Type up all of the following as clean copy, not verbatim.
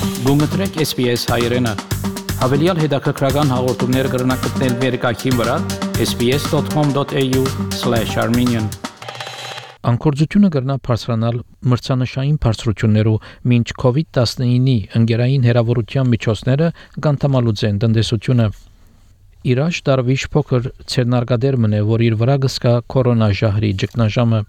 Գումտրեք SPS հայերեն։ Հավելյալ հետաքրքրական հաղորդումներ կգրնակցնել վերկայքին վրա sbs.com.au/armenian Անկորձությունը կրնա բարձրանալ մրցանշային բարձրություններով մինչ COVID-19-ի ընկերային հերավորության միջոցները կանթամալուծեն տնտեսությունը։ Իրաջ դարվիշ փոքր ցերնարգադեր մնե, որ իր վրա գսկա կորոնաժահրի ճգնաժամը։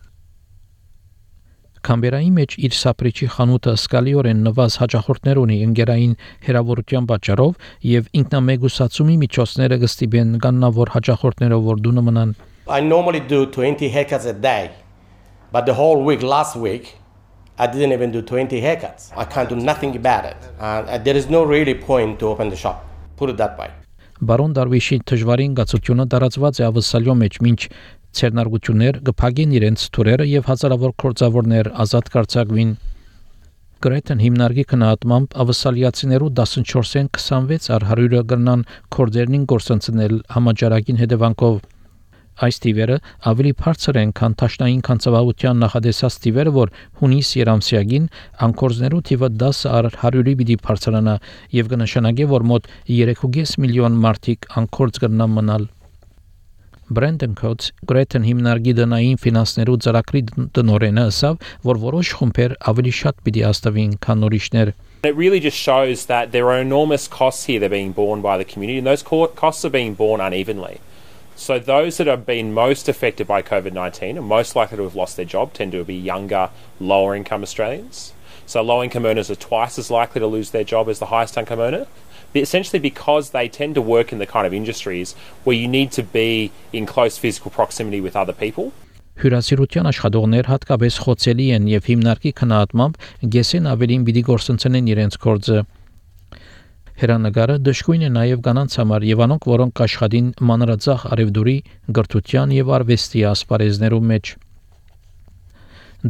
Կամբերայի մեջ իր սապրիչի խանութը սկալիորեն նվազ հաճախորդներ ունի ընկերային հերավորության պատճառով եւ ինքնամեգուսացումի միջոցները գստիբեն կաննավոր հաճախորդներով որ դունը մնան։ I normally do 20 haircuts a day, but the whole week last week I didn't even do 20 haircuts. I can't do nothing about it. There is no really point to open the shop. Put it that way. Բարոն Դարվիշի դժվարին գացությունը տարածված է ավսալյո մեջ, մինչ ցերնարգություններ գփագեն իրենց թուրերը եւ հազարավոր կորձավորներ ազատ կարծակվին։ Գրեթեն հիմնարկի քննադատմամբ ավսալիացիներու 14-ին 26 առ 100-ը կրնան կորձերնին գործընծնել համաճարակին հետևանքով։ Այս տիվերը ավելի բարձր են, քան տաշնային կանցավահության նախադեсած տիվերը, որ հունիս երամսյակին անկորձներու թիվը 10 առ 100-ի պիտի բարձրանա եւ կնշանակի, որ մոտ 3.5 միլիոն մարդիկ անկորձ կգնան մնալ։ Brandon Coates Greaten հիմնարկի դնային ֆինանսներու ծրագրի տնօրենը ասավ, որ որոշ խումբեր ավելի շատ պիտի հաստավին, քան նորիշներ։ It really just shows that there are enormous costs here that are being borne by the community, and those costs are being borne unevenly. So those that have been most affected by COVID-19 and most likely to have lost their job tend to be younger, lower income Australians. So low income earners are twice as likely to lose their job as the highest income earner, essentially because they tend to work in the kind of industries where you need to be in close physical proximity with other people. Հյուրասիրության աշխատողներ հատկապես խոցելի են եւ հիմնարկի քննադատմամբ գեսեն ավելին պիտի գործընծեն իրենց գործը։ Հերանագարը դժգույն է նաև կանանց համար եւ անոնք, որոնք աշխատին մանրածախ արևդուրի, գրթության եւ արվեստի ասպարեզներում մեջ։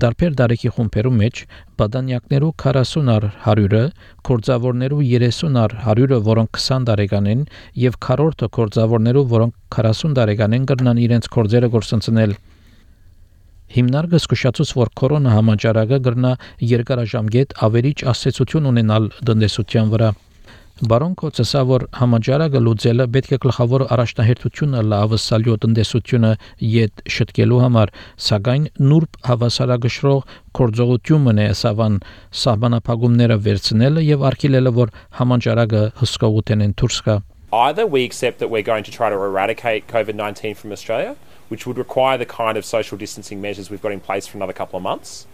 Դարբեր դարեկի խումբերու մեջ բադանյակներու 40 առ 100-ը, կորձավորներու 30 առ 100-ը, որոնք 20 տարեկան են, եւ քառորդը կորձավորներու, որոնք 40 տարեկան են, կրնան իրենց կորձերը գործընծնել։ Հիմնարկը զսկուշացուց, որ կորոնա համաճարակը կրնա երկարաժամկետ ավերիչ ասացություն ունենալ տնտեսության վրա։ Բարոն Կոցսա, որ համաճարակը լուծելը պետք է գլխավոր առաջնահերթությունը լավսալյո տնտեսությունը յետ շտկելու համար, սակայն նուրբ հավասարակշռող կորձողությունն է սավան սահմանափակումները վերցնելը եւ արգելելը, որ համաճարակը հսկողութեն դուրս գա։ Either we accept that we're going to try to eradicate COVID-19 from Australia, which would require the kind of social distancing measures we've got in place for another couple of months,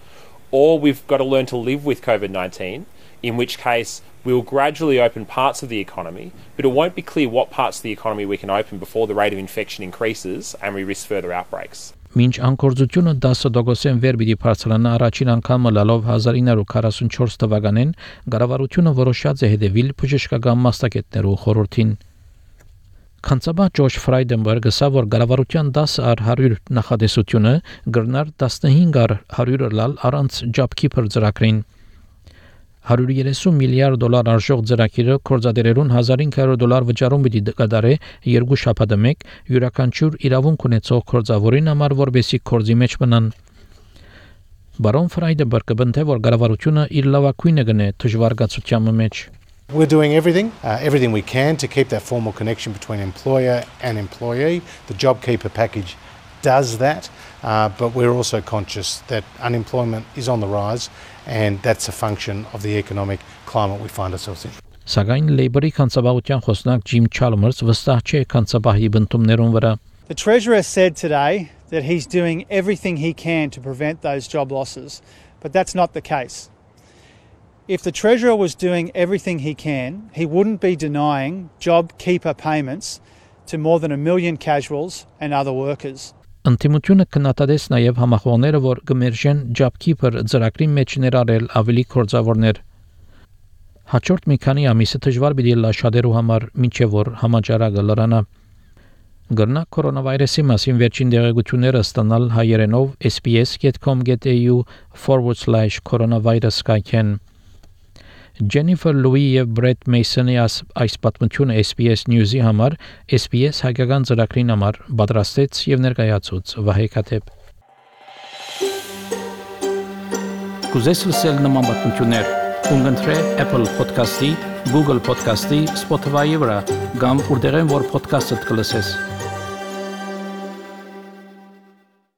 or we've got to learn to live with COVID-19, in which case we'll gradually open parts of the economy, but it won't be clear what parts of the economy we can open before the rate of infection increases and we risk further outbreaks. Մինչ անկորձությունը 10%-ն վեր պիտի բարձրանա առաջին անգամը լալով 1944 թվականին, կառավարությունը որոշած է հետևել բժշկական մասնագետներու խորհրդին։ Կանցաբա Ջորջ Ֆրայդենբերգը ասա, որ կառավարության 10 առ 100 նախադեсությունը կգրնար 15 առ 100 լալ առանց JobKeeper ծրագրին։ $130 միլիարդ արժող ծրագիրը կորզադերերուն $1500 վճարում պիտի կատարե երկու շաբաթը մեկ յուրաքանչյուր իրավունք ունեցող կորզավորին համար, որբեսի կորզի մեջ մնան։ Բարոն Ֆրայդենբերգը բնթե, որ կառավարությունը իր լավագույնը գնե դժվարգացության մեջ։ We're doing everything we can to keep that formal connection between employer and employee. The JobKeeper package does that, but we're also conscious that unemployment is on the rise, and that's a function of the economic climate we find ourselves in. Սակայն Labour-ի կանցաբահության խոսնակ Jim Chalmers վստահ չէ կանցաբահի բնդումներուն վրա։ The Treasurer said today that he's doing everything he can to prevent those job losses, but that's not the case. If the Treasurer was doing everything he can, he wouldn't be denying JobKeeper payments to more than 1 million casuals and other workers. Ընտիմությունը կնատադես նաև համախոհները, որ կմերժեն JobKeeper ծրագրի մեջ ներառել ավելի կորձավորներ։ Հաջորդ մի քանի ամիսը դժվար պիտի լա շատերու համար, մինչև որ համաճարակը լրանա։ Գրնա կորոնավիրուսի մասին վերջին դեղեցությունները ստանալ հայերենով sbs.com.au/coronavirus կայքեն։ Jennifer Louis եւ Brett Mason-ի այս պատմությունը SBS News-ի համար SBS հայկական ծրագրին համար պատրաստեց եւ ներկայացուց Վահե Քաթեփ։ Կուզես լսել նման պատմություններ, Ունգընտրե Apple Podcast-ի, Google Podcast-ի, Spotify-ի վրա, կամ որտեղեն որ podcast-ը կլսես։